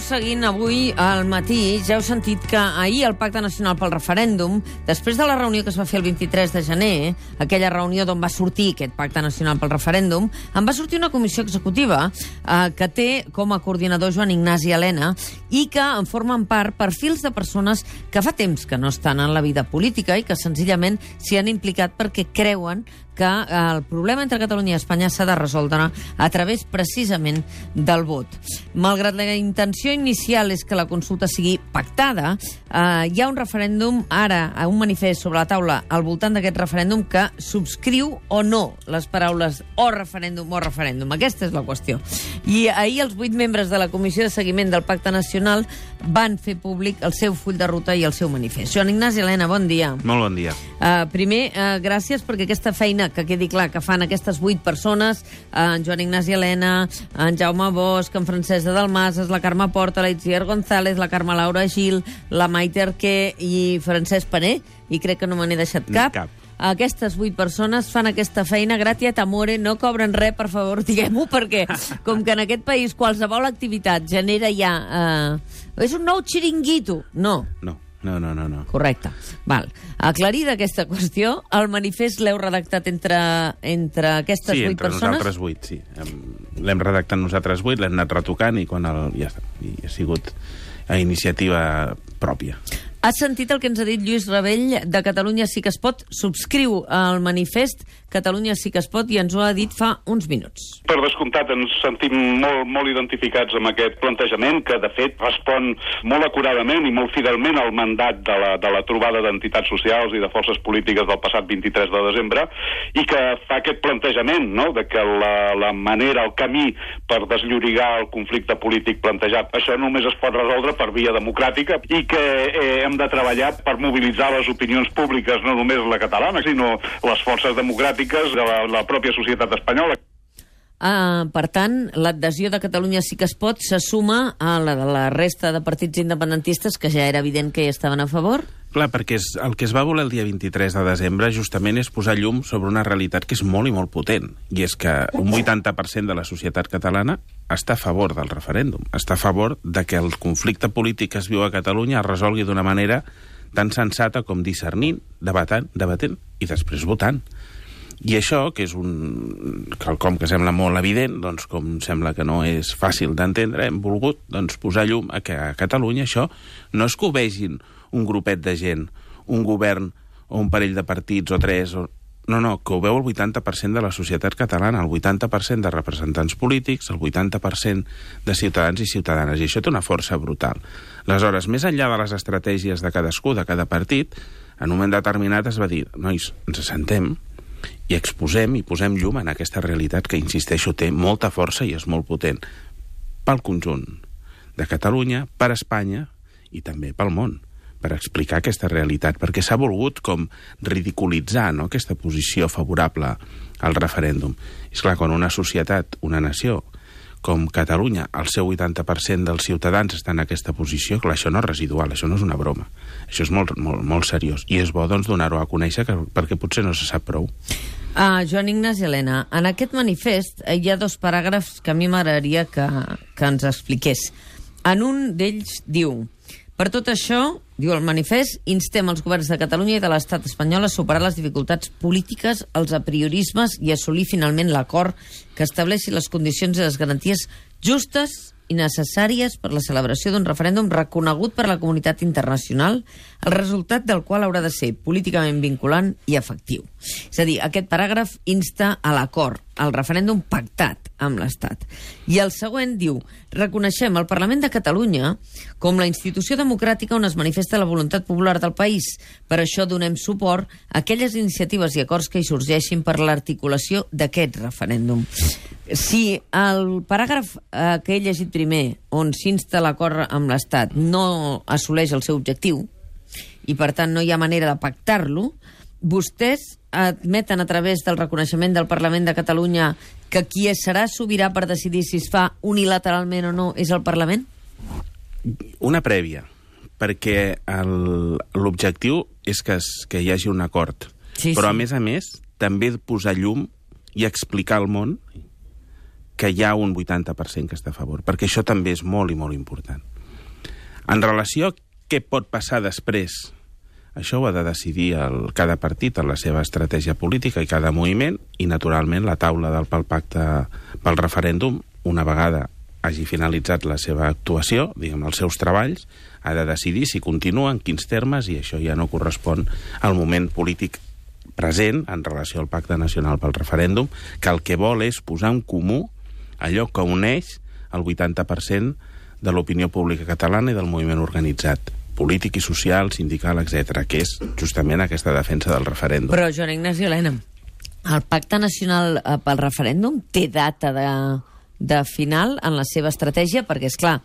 seguint avui al matí, ja heu sentit que ahir el Pacte Nacional pel Referèndum, després de la reunió que es va fer el 23 de gener, aquella reunió d'on va sortir aquest Pacte Nacional pel Referèndum, en va sortir una comissió executiva que té com a coordinador Joan Ignasi Elena i que en formen part perfils de persones que fa temps que no estan en la vida política i que senzillament s'hi han implicat perquè creuen que el problema entre Catalunya i Espanya s'ha de resoldre a través precisament del vot. Malgrat la intenció inicial és que la consulta sigui pactada, hi ha un referèndum ara, un manifest sobre la taula al voltant d'aquest referèndum que subscriu o no les paraules o referèndum o referèndum. Aquesta és la qüestió. I ahir els 8 membres de la Comissió de Seguiment del Pacte Nacional van fer públic el seu full de ruta i el seu manifest. Joan Ignasi Elena, bon dia. Molt bon dia. Primer, gràcies perquè aquesta feina, que quedi clar, que fan aquestes 8 persones, en Joan Ignasi Elena, en Jaume Bosch, en Francesc de Dalmases, la Carme Porta, la Itziar González, la Carme Laura Gil, la Maite Arquer i Francesc Paner, i crec que no me n'he deixat cap. Aquestes 8 persones fan aquesta feina gratia amore, no cobren res, per favor, diguem-ho, perquè com que en aquest país qualsevol activitat genera ja... és un nou xiringuito. No. Correcte. Val. Aclarida aquesta qüestió, el manifest l'heu redactat entre aquestes 8 persones? Sí, entre nosaltres 8, sí. L'hem redactat nosaltres 8, l'hem anat retocant i ja està. I ha sigut a iniciativa pròpia. Has sentit el que ens ha dit Lluís Rabell de Catalunya Sí que es pot? Subscriu el manifest Catalunya Sí que es pot i ens ho ha dit fa uns minuts. Per descomptat, ens sentim molt identificats amb aquest plantejament que, de fet, respon molt acuradament i molt fidelment al mandat de la trobada d'entitats socials i de forces polítiques del passat 23 de desembre i que fa aquest plantejament, no?, de que la manera, el camí per desllorigar el conflicte polític plantejat, això només es pot resoldre per via democràtica i que hem de treballar per mobilitzar les opinions públiques, no només la catalana, sinó les forces democràtiques de la pròpia societat espanyola. Per tant, l'adhesió de Catalunya Sí que es pot se suma a la de la resta de partits independentistes que ja era evident que hi estaven a favor? Clar, perquè el que es va voler el dia 23 de desembre justament és posar llum sobre una realitat que és molt i molt potent, i és que un 80% de la societat catalana està a favor del referèndum, està a favor de que el conflicte polític que es viu a Catalunya es resolgui d'una manera tan sensata com discernint, debatent i després votant. I això, que és quelcom que sembla molt evident, doncs com sembla que no és fàcil d'entendre, hem volgut posar llum a que a Catalunya això no és que ho vegin un grupet de gent, un govern o un parell de partits o 3... No, que ho veu el 80% de la societat catalana, el 80% de representants polítics, el 80% de ciutadans i ciutadanes, i això té una força brutal. Aleshores, més enllà de les estratègies de cadascú, de cada partit, en un moment determinat es va dir, nois, ens assentem i exposem i posem llum en aquesta realitat que, insisteixo, té molta força i és molt potent pel conjunt de Catalunya, per Espanya i també pel món, per explicar aquesta realitat, perquè s'ha volgut com ridiculitzar, no?, aquesta posició favorable al referèndum. És clar, quan una societat, una nació com Catalunya, el seu 80% dels ciutadans estan en aquesta posició, clar, això no és residual, això no és una broma. Això és molt seriós. I és bo, doncs, donar-ho a conèixer perquè potser no se sap prou. Joan Ignasi Elena, en aquest manifest hi ha 2 paràgrafs que a mi m'agradaria que ens expliqués. En un d'ells diu: per tot això, diu el manifest, instem els governs de Catalunya i de l'Estat espanyol a superar les dificultats polítiques, els apriorismes i assolir finalment l'acord que estableixi les condicions i les garanties justes i necessàries per la celebració d'un referèndum reconegut per la comunitat internacional, el resultat del qual haurà de ser políticament vinculant i efectiu. És a dir, aquest paràgraf insta a l'acord, al referèndum pactat amb l'Estat. I el següent diu: reconeixem el Parlament de Catalunya com la institució democràtica on es manifesta la voluntat popular del país. Per això donem suport a aquelles iniciatives i acords que hi sorgeixin per l'articulació d'aquest referèndum. Si el paràgraf que he llegit primer, on s'insta l'acord amb l'Estat, no assoleix el seu objectiu, i per tant no hi ha manera de pactar-lo, vostès admeten a través del reconeixement del Parlament de Catalunya que qui serà sobirà per decidir si es fa unilateralment o no és el Parlament? Una prèvia, perquè l'objectiu és que hi hagi un acord. Sí, però, sí. a més, també posar llum i explicar al món que hi ha un 80% que està a favor, perquè això també és molt i molt important. En relació a què pot passar després, això ho ha de decidir cada partit en la seva estratègia política i cada moviment, i naturalment la taula pel pacte pel referèndum, una vegada hagi finalitzat la seva actuació, diguem, els seus treballs, ha de decidir si continua, en quins termes, i això ja no correspon al moment polític present en relació al Pacte Nacional pel Referèndum, que el que vol és posar en comú allò que uneix el 80% de l'opinió pública catalana i del moviment organitzat, polític i social, sindical, etc., que és justament aquesta defensa del referèndum. Però, Joan Ignasi Elena, el Pacte Nacional pel Referèndum té data de final en la seva estratègia? Perquè, és clar,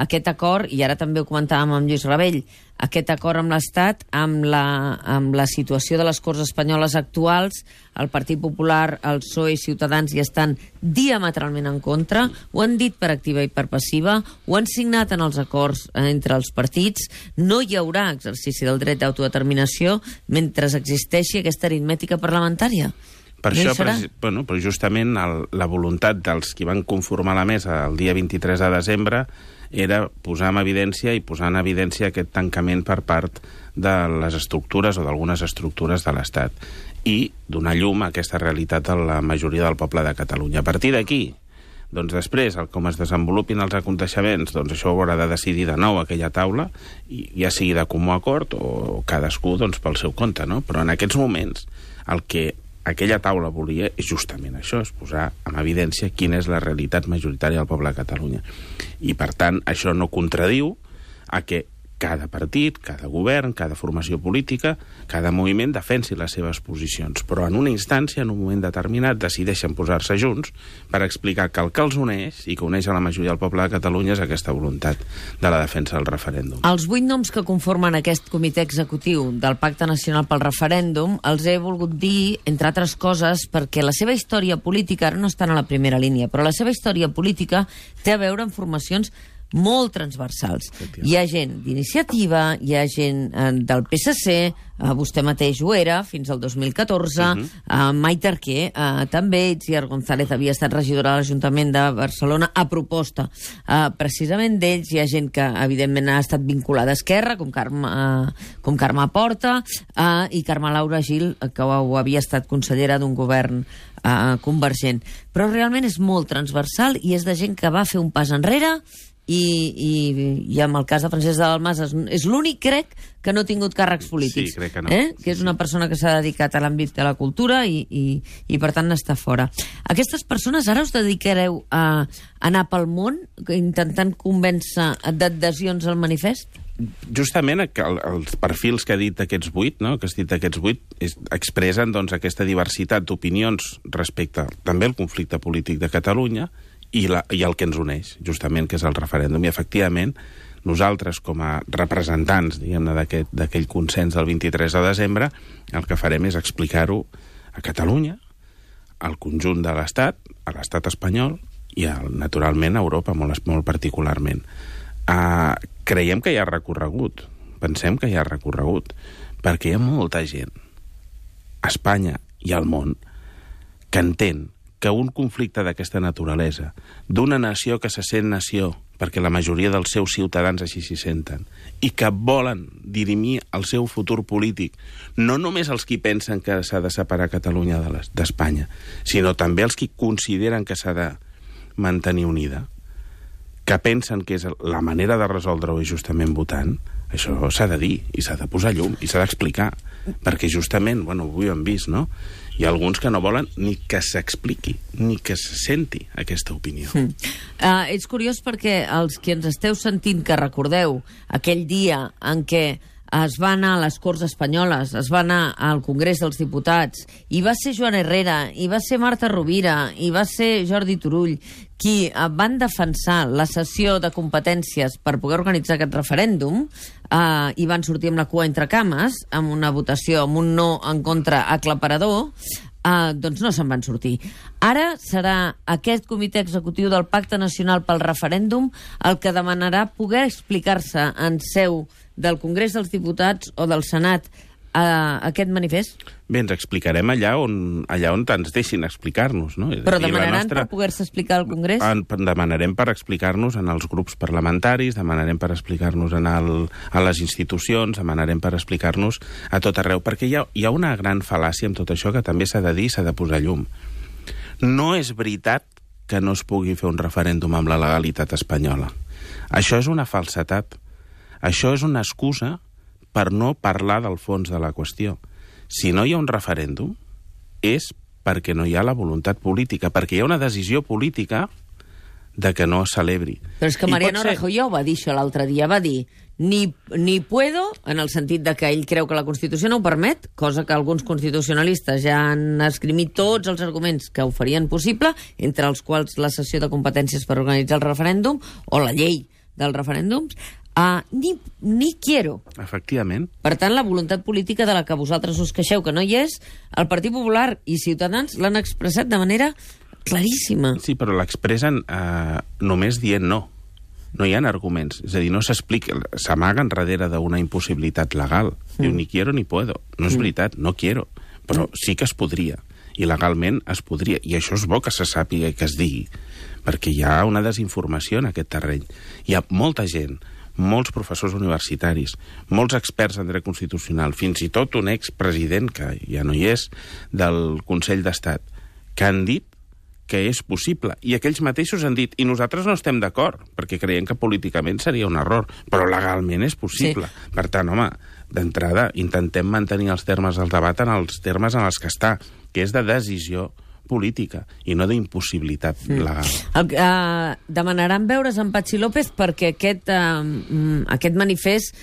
aquest acord, i ara també ho comentàvem amb Lluís Rabell, aquest acord amb l'Estat, amb la situació de les Corts Espanyoles actuals, el Partit Popular, el PSOE i Ciutadans hi estan diametralment en contra, ho han dit per activa i per passiva, ho han signat en els acords entre els partits, no hi haurà exercici del dret d'autodeterminació mentre existeixi aquesta aritmètica parlamentària. Per això, però justament la voluntat dels qui van conformar la mesa el dia 23 de desembre era posar en evidència aquest tancament per part de les estructures o d'algunes estructures de l'Estat i donar llum a aquesta realitat a la majoria del poble de Catalunya. A partir d'aquí, doncs després, com es desenvolupin els aconteixements, doncs això ho haurà de decidir de nou aquella taula, i ja sigui de comú acord o cadascú doncs, pel seu compte, no? Però en aquests moments el que aquella taula volia és justament això, és posar en evidència quina és la realitat majoritària del poble de Catalunya. I, per tant, això no contradiu a que cada partit, cada govern, cada formació política, cada moviment defensi les seves posicions. Però en una instància, en un moment determinat, decideixen posar-se junts per explicar que el que els uneix i que uneix a la majoria del poble de Catalunya és aquesta voluntat de la defensa del referèndum. Els 8 noms que conformen aquest comitè executiu del Pacte Nacional pel Referèndum els he volgut dir, entre altres coses, perquè la seva història política, ara no estan a la primera línia, però la seva història política té a veure amb formacions molt transversals. Hi ha gent d'iniciativa, hi ha gent del PSC, vostè mateix ho era, fins al 2014, Maite Arquer, també, Itziar González havia estat regidora de l'Ajuntament de Barcelona a proposta precisament d'ells. Hi ha gent que, evidentment, ha estat vinculada a Esquerra, com Carme Porta, i Carme Laura Gil, que ho havia estat consellera d'un govern convergent. Però realment és molt transversal i és de gent que va fer un pas enrere i amb el cas de Francesc de Dalmases és l'únic, crec, que no ha tingut càrrecs polítics. Sí, crec que no. Que és una persona que s'ha dedicat a l'àmbit de la cultura i per tant està fora. Aquestes persones ara us dedicareu a anar pel món intentant convèncer d'adhesions al manifest? Justament els perfils que ha dit aquests 8, no? Que has dit aquests 8, expressen doncs, aquesta diversitat d'opinions respecte també al conflicte polític de Catalunya i el que ens uneix, justament, que és el referèndum. I, efectivament, nosaltres, com a representants, diguem-ne, d'aquell consens del 23 de desembre, el que farem és explicar-ho a Catalunya, al conjunt de l'Estat, a l'Estat espanyol i, naturalment, a Europa, molt particularment. Creiem que hi ha recorregut, pensem que hi ha recorregut, perquè hi ha molta gent a Espanya i al món que entén que un conflicte d'aquesta naturalesa, d'una nació que se sent nació, perquè la majoria dels seus ciutadans així s'hi senten, i que volen dirimir el seu futur polític, no només els qui pensen que s'ha de separar Catalunya d'Espanya, sinó també els qui consideren que s'ha de mantenir unida, que pensen que és la manera de resoldre-ho és justament votant, això s'ha de dir, i s'ha de posar llum, i s'ha d'explicar, perquè justament, avui ho hem vist, no?, hi ha alguns que no volen ni que s'expliqui, ni que se senti aquesta opinió. És curiós perquè els que ens esteu sentint que recordeu aquell dia en què es va anar a les Corts Espanyoles, es va anar al Congrés dels Diputats, i va ser Joan Herrera, i va ser Marta Rovira, i va ser Jordi Turull, qui van defensar la cessió de competències per poder organitzar aquest referèndum, i van sortir amb la cua entre cames, amb una votació, amb un no en contra aclaparador, doncs no se'n van sortir. Ara serà aquest comitè executiu del Pacte Nacional pel Referèndum el que demanarà poder explicar-se en seu del Congrés dels Diputats o del Senat aquest manifest? Bé, ens explicarem allà on ens deixin explicar-nos, no? Però demanaran per poder-se explicar al Congrés? Demanarem per explicar-nos en els grups parlamentaris, demanarem per explicar-nos a les institucions, demanarem per explicar-nos a tot arreu, perquè hi ha una gran fal·làcia amb tot això que també s'ha de dir i s'ha de posar llum. No és veritat que no es pugui fer un referèndum amb la legalitat espanyola. Això és una falsedat. Això és una excusa per no parlar del fons de la qüestió. Si no hi ha un referèndum, és perquè no hi ha la voluntat política, perquè hi ha una decisió política de que no es celebri. Però és que Mariano Rajoy ja ho va dir això l'altre dia, va dir ni puedo, en el sentit de que ell creu que la Constitució no ho permet, cosa que alguns constitucionalistes ja han esgrimit tots els arguments que ho farien possible, entre els quals la cessió de competències per organitzar el referèndum o la llei dels referèndums, ni quiero. Efectivament. Per tant, la voluntat política de la que vosaltres us queixeu que no hi és, el Partit Popular i Ciutadans l'han expressat de manera claríssima. Sí, però l'expressen només dient no. No hi ha arguments. És a dir, no s'explica, s'amaguen darrere d'una impossibilitat legal. Diu, ni quiero ni puedo. No és veritat, no quiero. Però sí que es podria. I legalment es podria. I això és bo que se sàpiga i que es digui. Perquè hi ha una desinformació en aquest terreny. Hi ha molta gent, molts professors universitaris, molts experts en dret constitucional, fins i tot un expresident, que ja no hi és, del Consell d'Estat, que han dit que és possible. I aquells mateixos han dit, i nosaltres no estem d'acord, perquè creiem que políticament seria un error, però legalment és possible. Sí. Per tant, home, d'entrada, intentem mantenir els termes del debat en els termes en els que està, que és de decisió política i no d'impossibilitat legal. Demanaran veure's amb Patxi López perquè aquest manifest,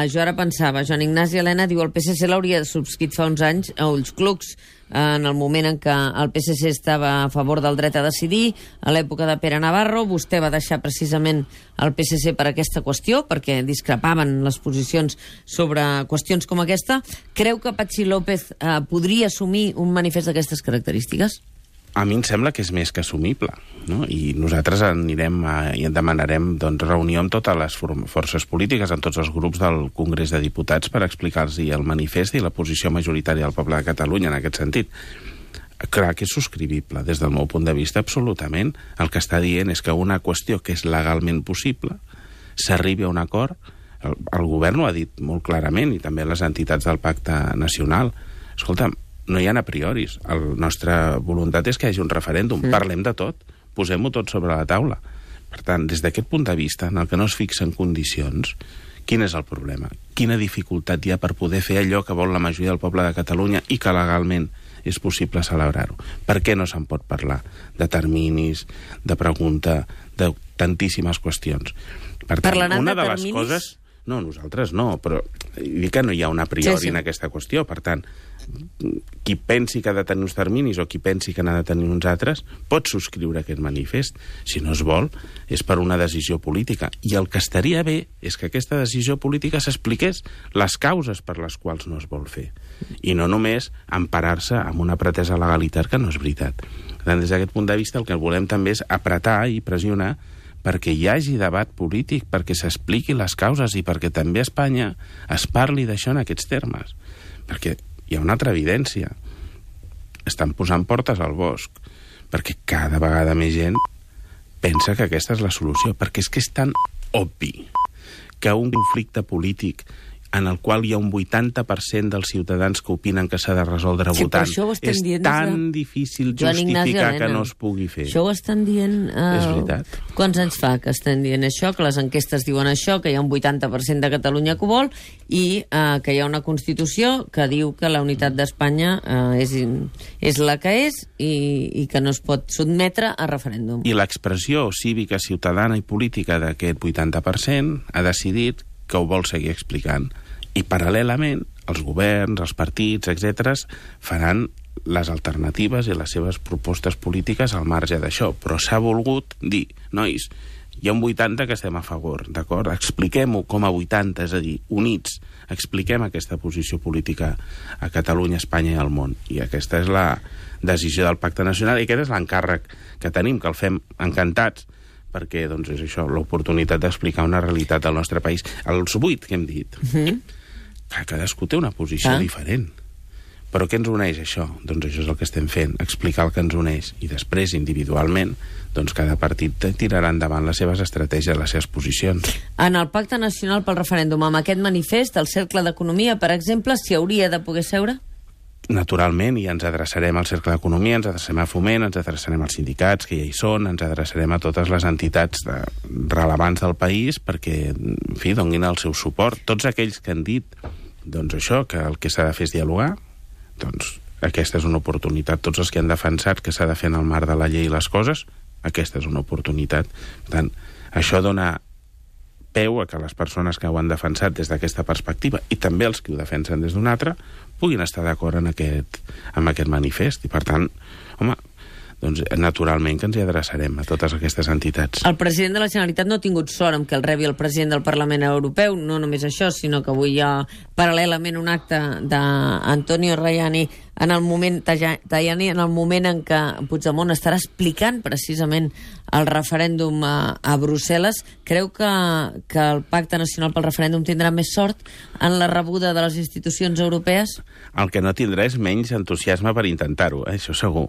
jo ara pensava, Joan Ignasi Elena diu el PSC l'hauria subscrit fa uns anys a ulls clucs, en el moment en què el PSC estava a favor del dret a decidir, a l'època de Pere Navarro, vostè va deixar precisament el PSC per aquesta qüestió, perquè discrepaven les posicions sobre qüestions com aquesta. Creu que Patxi López podria assumir un manifest d'aquestes característiques? A mi em sembla que és més que assumible, no? I nosaltres anirem i en demanarem reunió amb totes les forces polítiques, amb tots els grups del Congrés de Diputats per explicar-los el manifest i la posició majoritària del poble de Catalunya en aquest sentit. Clar que és subscrivible, des del meu punt de vista, absolutament. El que està dient és que una qüestió que és legalment possible s'arribi a un acord. El govern ho ha dit molt clarament, i també les entitats del Pacte Nacional. Escolta'm, no hi ha a prioris. La nostra voluntat és que hi hagi un referèndum. Parlem de tot. Posem-ho tot sobre la taula. Per tant, des d'aquest punt de vista, en el que no es fixen condicions, quin és el problema? Quina dificultat hi ha per poder fer allò que vol la majoria del poble de Catalunya i que legalment és possible celebrar-ho? Per què no se'n pot parlar? De terminis, de pregunta, de tantíssimes qüestions. Per tant, una de les coses... No, nosaltres no, però dic que no hi ha un a priori en aquesta qüestió. Per tant, qui pensi que ha de tenir uns terminis o qui pensi que n'ha de tenir uns altres, pot subscriure aquest manifest. Si no es vol, és per una decisió política. I el que estaria bé és que aquesta decisió política s'expliqués les causes per les quals no es vol fer. I no només emparar-se amb una pretesa legalitat que no és veritat. Per tant, des d'aquest punt de vista, el que volem també és apretar i pressionar perquè hi hagi debat polític, perquè s'expliqui les causes i perquè també a Espanya es parli d'això en aquests termes. Perquè hi ha una altra evidència. Estan posant portes al bosc, perquè cada vegada més gent pensa que aquesta és la solució, perquè és que és tan obvi que un conflicte polític en el qual hi ha un 80% dels ciutadans que opinen que s'ha de resoldre votant, és tan difícil justificar que no es pugui fer. Això ho estan dient... És veritat. Quants anys fa que estan dient això, que les enquestes diuen això, que hi ha un 80% de Catalunya que ho vol, i que hi ha una Constitució que diu que la unitat d'Espanya és la que és i que no es pot sotmetre a referèndum. I l'expressió cívica, ciutadana i política d'aquest 80% ha decidit que ho vol seguir explicant. I paral·lelament, els governs, els partits, etc., faran les alternatives i les seves propostes polítiques al marge d'això. Però s'ha volgut dir, nois, hi ha un 80 que estem a favor, d'acord? Expliquem-ho com a 80, és a dir, units, expliquem aquesta posició política a Catalunya, Espanya i al món. I aquesta és la decisió del Pacte Nacional i aquest és l'encàrrec que tenim, que el fem encantats, perquè és això, l'oportunitat d'explicar una realitat del nostre país. Els 8 que hem dit, Cadascú té una posició diferent. Però què ens uneix, això? Doncs això és el que estem fent, explicar el que ens uneix. I després, individualment, doncs cada partit tirarà endavant les seves estratègies, les seves posicions. En el Pacte Nacional pel Referèndum, amb aquest manifest, el Cercle d'Economia, per exemple, s'hi hauria de poder seure? Naturalment, i ens adreçarem al Cercle d'Economia, ens adreçarem a Foment, ens adreçarem als sindicats, que ja hi són, ens adreçarem a totes les entitats rellevants del país perquè, en fi, donin el seu suport. Tots aquells que han dit, doncs això, que el que s'ha de fer és dialogar, doncs aquesta és una oportunitat. Tots els que han defensat que s'ha de fer en el marc de la llei les coses, aquesta és una oportunitat. Per tant, això dona peu a que les persones que ho han defensat des d'aquesta perspectiva i també els que ho defensen des d'una altra puguin estar d'acord amb aquest manifest. I per tant, home, doncs naturalment que ens hi adreçarem a totes aquestes entitats. El president de la Generalitat no ha tingut sort amb que el rebi el president del Parlament Europeu, no només això, sinó que avui hi ha paral·lelament un acte d'Antonio Tajani en el moment en què Puigdemont estarà explicant precisament el referèndum a Brussel·les. Creu que el Pacte Nacional pel Referèndum tindrà més sort en la rebuda de les institucions europees? El que no tindrà és menys entusiasme per intentar-ho, això segur.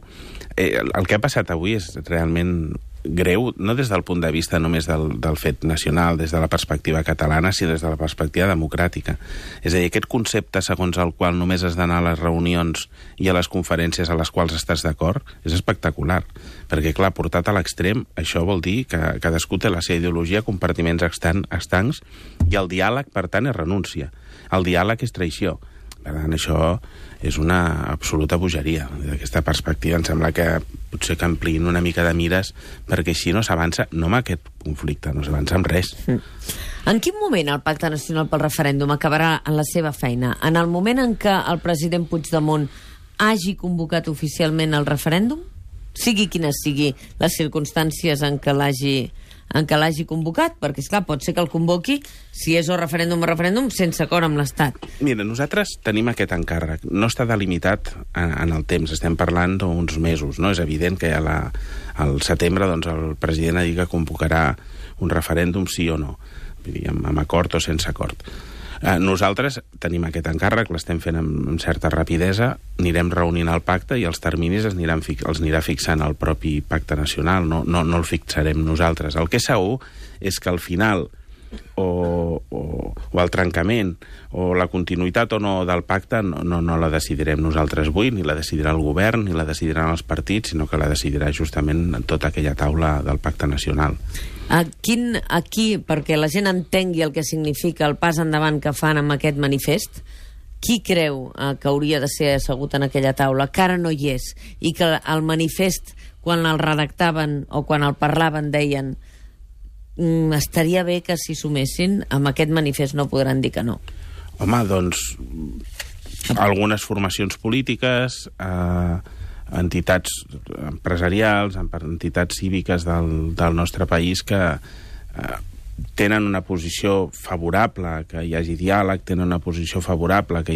El que ha passat avui és realment greu, no des del punt de vista només del fet nacional, des de la perspectiva catalana, sinó des de la perspectiva democràtica. És a dir, aquest concepte segons el qual només has d'anar a les reunions i a les conferències a les quals estàs d'acord és espectacular, perquè clar, portat a l'extrem, això vol dir que cadascú té la seva ideologia, compartiments estancs, i el diàleg, per tant, és renúncia. El diàleg és traïció. Per tant, això és una absoluta bogeria. D'aquesta perspectiva em sembla que potser que ampliïn una mica de mires, perquè així no s'avança, no amb aquest conflicte, no s'avança amb res. En quin moment el Pacte Nacional pel Referèndum acabarà en la seva feina? En el moment en què el president Puigdemont hagi convocat oficialment el referèndum? Sigui quines sigui les circumstàncies en què l'hagi convocat, perquè, esclar, pot ser que el convoqui, si és o referèndum, sense acord amb l'Estat. Mira, nosaltres tenim aquest encàrrec. No està delimitat en el temps, estem parlant d'uns mesos, no? És evident que al setembre doncs, el president ha dit que convocarà un referèndum sí o no, vull dir, amb acord o sense acord. Nosaltres tenim aquest encàrrec, l'estem fent amb certa rapidesa, anirem reunint el pacte i els terminis els anirà fixant el propi pacte nacional, no el fixarem nosaltres. El que és segur és que al final o el trencament o la continuïtat o no del pacte no la decidirem nosaltres avui, ni la decidirà el govern, ni la decidiran els partits, sinó que la decidirà justament tota aquella taula del pacte nacional. Aquí, perquè la gent entengui el que significa el pas endavant que fan amb aquest manifest, qui creu que hauria de ser assegut en aquella taula, que ara no hi és, i que el manifest, quan el redactaven o quan el parlaven, deien estaria bé que s'hi sumessin, amb aquest manifest no podran dir que no? Home, doncs algunes formacions polítiques, entitats empresarials, entitats cíviques del nostre país que tenen una posició favorable que hi hagi diàleg, tenen una posició favorable que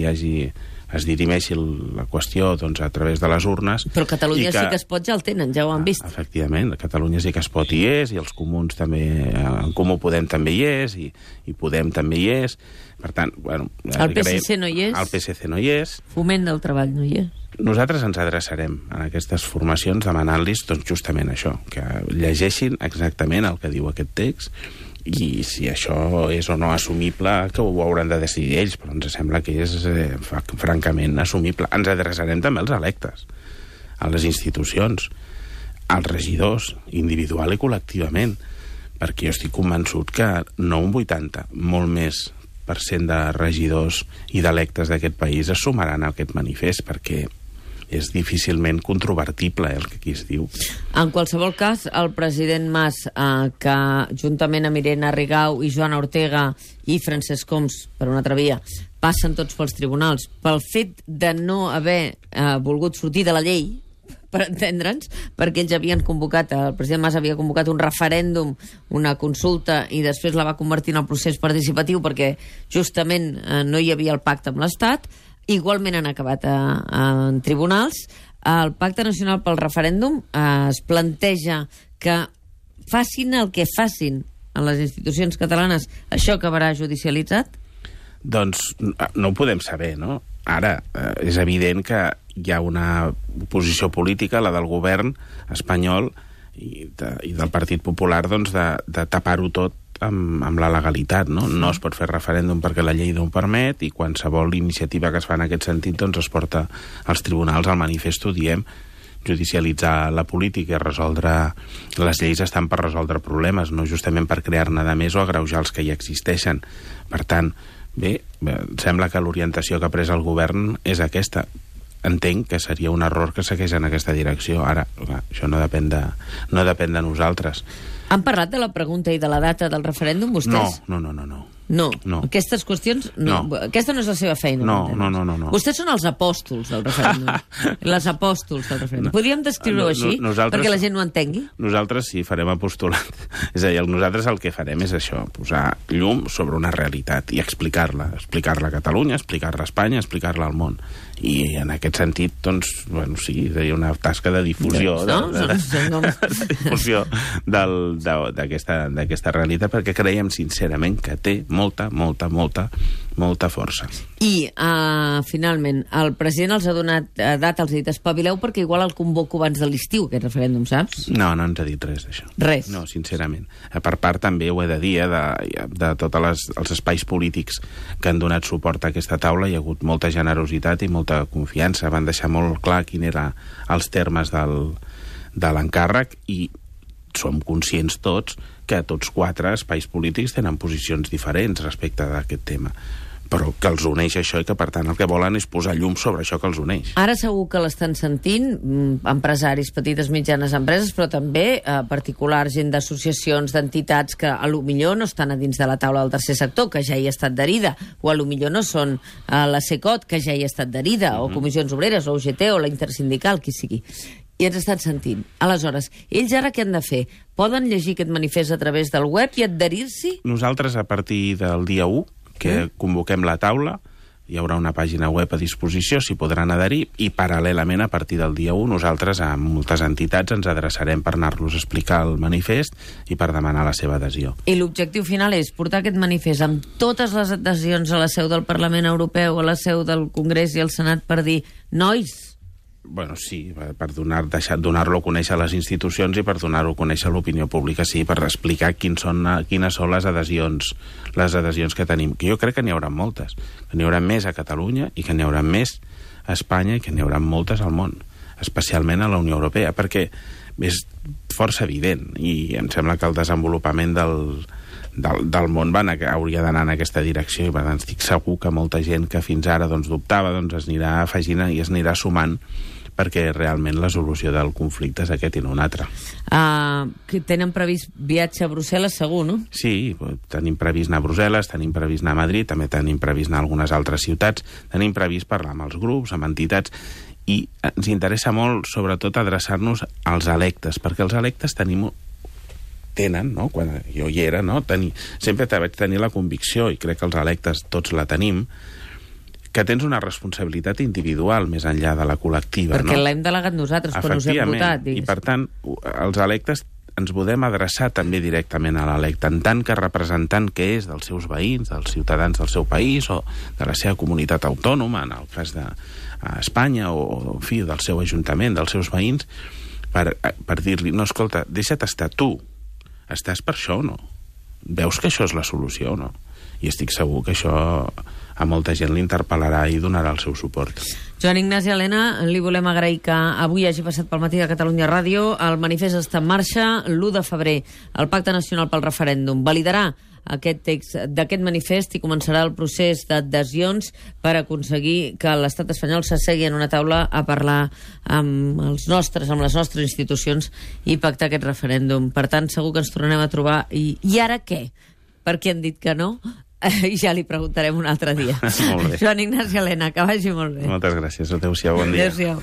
es dirimeixi la qüestió doncs, a través de les urnes. Però Catalunya sí que es pot, ja el tenen, ja ho han vist. Efectivament, Catalunya sí que es pot i és, i els comuns també, en Comú Podem també hi és, i Podem també hi és. Per tant, bueno... El PSC no hi és. El PSC no hi és. Foment del Treball no hi és. Nosaltres ens adreçarem a aquestes formacions demanant-los doncs, justament això, que llegeixin exactament el que diu aquest text i si això és o no assumible, que ho hauran de decidir ells, però ens sembla que és francament assumible. Ens adreçarem també als electes, a les institucions, als regidors, individual i col·lectivament, perquè jo estic convençut que no un 80, molt més % de regidors i d'electes d'aquest país es sumaran a aquest manifest, perquè és difícilment controvertible el que aquí es diu. En qualsevol cas, el president Mas, que juntament amb Irene Rigau i Joana Ortega i Francesc Homs, per una altra via, passen tots pels tribunals pel fet de no haver volgut sortir de la llei, per entendre'ns, perquè ells havien convocat, el president Mas havia convocat un referèndum, una consulta, i després la va convertir en el procés participatiu perquè justament no hi havia el pacte amb l'Estat. Igualment han acabat en tribunals. El Pacte Nacional pel Referèndum es planteja que facin el que facin en les institucions catalanes, això acabarà judicialitzat? Doncs no ho podem saber, no? Ara, és evident que hi ha una posició política, la del govern espanyol i del Partit Popular, doncs, de tapar-ho tot amb la legalitat, no? No es pot fer referèndum perquè la llei no ho permet i qualsevol iniciativa que es fa en aquest sentit doncs es porta als tribunals. Al manifest ho diem, judicialitzar la política i resoldre les lleis estan per resoldre problemes, no justament per crear-ne de més o agreujar els que ja existeixen. Per tant, bé, sembla que l'orientació que ha pres el govern és aquesta. Entenc que seria un error que segueix en aquesta direcció. Ara, clar, això no depèn de nosaltres. Han parlat de la pregunta i de la data del referèndum, vostès? No. Aquestes qüestions... No. Aquesta no és la seva feina. No. Vostès són els apòstols del referèndum. Les apòstols del referèndum. Podríem descriure-ho així? Perquè la gent no entengui? Nosaltres sí farem apostolat. És a dir, nosaltres el que farem és això, posar llum sobre una realitat i explicar-la. Explicar-la a Catalunya, explicar-la a Espanya, explicar-la al món. I en aquest sentit, doncs, bueno, sí, seria una tasca de difusió. Difusió d'aquesta realitat, perquè creiem sincerament que té molta força. I, finalment, el president els ha donat data, els ha dit espavileu perquè igual el convoco abans de l'estiu, aquest referèndum, saps? No ens ha dit res d'això. Res? No, sincerament. Per part també ho he de dir, de tots els espais polítics que han donat suport a aquesta taula, hi ha hagut molta generositat i molta confiança. Van deixar molt clar quin eren els termes de l'encàrrec i som conscients tots que tots 4 espais polítics tenen posicions diferents respecte d'aquest tema, però que els uneix això i que, per tant, el que volen és posar llum sobre això que els uneix. Ara segur que l'estan sentint empresaris, petites, mitjanes empreses, però també particulars, gent d'associacions, d'entitats que a lo millor no estan a dins de la taula del tercer sector, que ja hi ha estat adherida, o a lo millor no són la CECOT, que ja hi ha estat adherida, o Comissions Obreres, o UGT, o la Intersindical, qui sigui. I ens estan sentint. Aleshores, ells ara què han de fer? Poden llegir aquest manifest a través del web i adherir-s'hi? Nosaltres, a partir del dia 1, que convoquem la taula, hi haurà una pàgina web a disposició, s'hi podran adherir, i paral·lelament, a partir del dia 1, nosaltres a moltes entitats ens adreçarem per anar-los a explicar el manifest i per demanar la seva adhesió. I l'objectiu final és portar aquest manifest amb totes les adhesions a la seu del Parlament Europeu, a la seu del Congrés i al Senat, per dir, nois... Bueno, sí, per donar-lo a conèixer a les institucions i per donar-ho a conèixer a l'opinió pública, sí, per explicar quines són les adhesions que tenim, que jo crec que n'hi haurà moltes, que n'hi haurà més a Catalunya i que n'hi haurà més a Espanya i que n'hi haurà moltes al món, especialment a la Unió Europea, perquè és força evident i em sembla que el desenvolupament del món hauria d'anar en aquesta direcció, i per tant estic segur que molta gent que fins ara dubtava es anirà afegint i es anirà sumant, perquè realment la solució del conflicte és aquest i no un altre. Que tenen previst viatge a Brussel·les, segur, no? Sí, tenim previst anar a Brussel·les, tenim previst anar a Madrid, també tenim previst anar a algunes altres ciutats, tenim previst parlar amb els grups, amb entitats, i ens interessa molt, sobretot, adreçar-nos als electes, perquè els electes tenen, no? Quan jo hi era, no? Sempre vaig tenir la convicció, i crec que els electes tots la tenim, que tens una responsabilitat individual més enllà de la col·lectiva. Perquè l'hem delegat nosaltres quan us hem votat. I per tant, els electes ens podem adreçar també directament a l'electe, en tant que representant que és dels seus veïns, dels ciutadans del seu país o de la seva comunitat autònoma, en el cas d'Espanya, o en fi, del seu ajuntament, dels seus veïns, per dir-li, no, escolta, deixa't estar tu, estàs per això o no? Veus que això és la solució o no? I estic segur que això a molta gent l'interpel·larà i donarà el seu suport. Joan Ignasi Elena, li volem agrair que avui hagi passat pel matí de Catalunya Ràdio. El manifest està en marxa. L'1 de febrer, el Pacte Nacional pel Referèndum validarà aquest text d'aquest manifest i començarà el procés d'adhesions per aconseguir que l'estat espanyol s'assegui en una taula a parlar amb les nostres institucions i pactar aquest referèndum. Per tant, segur que ens tornarem a trobar. I ara què? Per què han dit que no? Ja li preguntarem un altre dia. Molt bé. Joan Ignasi Elena, que vagi molt bé. Moltes gràcies. Adéu-siau, bon dia. Adéu-siau.